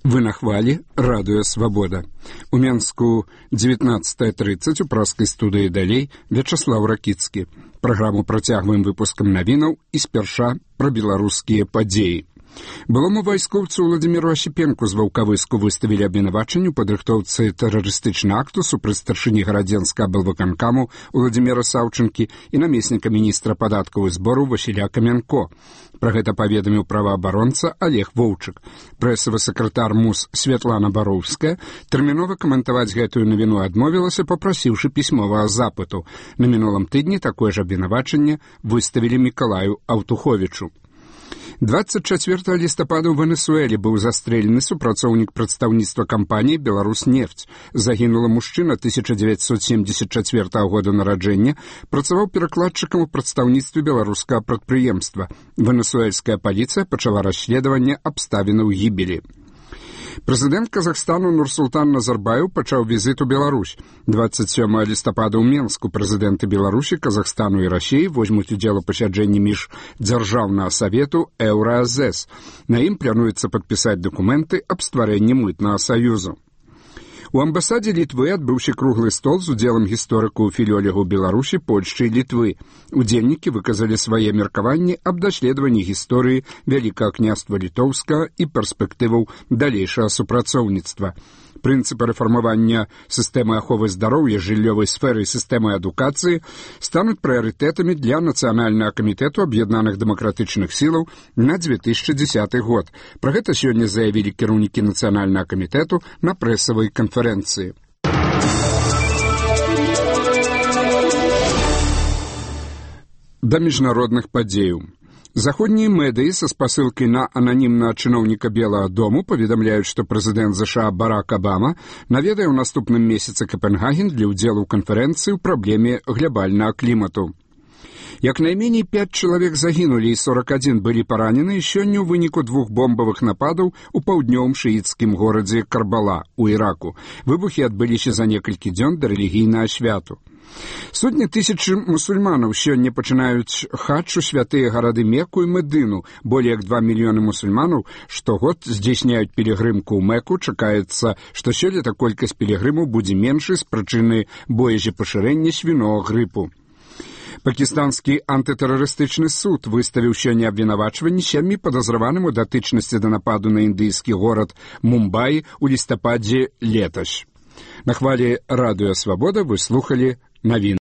Вы на хвалі радыё «Свабода». У Менску 19:30 у праскай студыі далей Вячаслаў Ракіцкі. Праграму працягваем выпускам навінаў і спярша пра беларускія падзеі. Былому вайскоўцу Владзіміру Асіпенку з Ваўкавыску выставілі абвінавачанне ў падрыхтоўцы тэрарыстычнага акту супраць старшыні гарадзенскага аблвыканкаму Владзіміра Саўчынкі і намесніка міністра падаткаў і збору Васіля Камянко. Пра гэта паведаміў праваабаронца Олег Воўчык. Прэсавы сакратар МУС Святлана Бароўская тэрмінова каментаваць гэтую навіну адмовілася, папрасіўшы пісьмовага запыту. На мінулым тыдні такое ж абвінавачанне выставілі Мікалаю Аўтуховічу. 24 лістапада ў Венесуэле быў застрэлены супрацоўнік прадстаўніцтва кампаніі «Беларуснефть». Загінула мужчына 1974 года нараджэння, працаваў перакладчыкам у прадстаўніцтве беларускага прадпрыемства. Венесуэльская паліцыя пачала расследаванне абставінаў гібелі. Прэзідэнт Казахстану Нурсултан Назарбаев пачаў візіт у Беларусь. 27 лістапада ў Менску прэзідэнты Беларусі, Казахстану і Расіі возьмуць удзел у пасяджэнні міждзяржаўнага савету Еўраазэс. На ім плануецца падпісаць дакументы аб стварэнні мытнага саюзу. У амбасадзе Літвы адбыўся круглы стол з удзелам гісторыкаў філёлегаў Беларусі, Польшчы і Літвы. Удзельнікі выказалі свае меркаванні аб даследаванні гісторыі Вялікага княства Літоўскага і перспектываў далейшага супрацоўніцтва. Прынцыпы рэфармавання сістэмы аховы здароўя, жыллёвай сферы і сістэмы адукацыі стануць прыярытэтамі для Нацыянальнага камітэту аб'яднаных дэмакратычных сілаў на 2010 год. Пра гэта сёння заявілі кіраўнікі Нацыянальнага камітэту на прэсавай канферэнцыі. Да міжнародных падзеяў. Заходнія медыі са спасылкай на ананімнага чыноўніка Белага дому паведамляюць, што прэзідэнт ЗША Барак Абама наведае ў наступным месяцы Капенгаген для ўдзелу ў канферэнцыі ў праблеме глобальнага клімату. Як найменей 5 чалавек загінулі і 41 былі паранены сёння ў выніку 2 бомбавых нападаў у паўднёвым шыіцкім горадзе Карбала ў Іраку. Выбухі адбыліся за некалькі дзён да рэлігійнага святу. Сотні тысячы мусульманаў сёння пачынаюць хадж у святыя гарады Мекку і Медыну. Болей як 2 мільёны мусульманаў штогод здзяйсняюць пілігрымку ў Мекку. Чакаецца, што сёлета колькасць пілігрымаў будзе меншай з прычыны боязапашырэння свінога грыпу. Пакістанскі антытэрарыстычны суд выставіў сёння абвінавачванні 7 падазраваным у датычнасці да нападу на індыйскі горад Мумбаі ў лістападзе летась. На хвалі радыё «Свабода» вы слухалі навіны.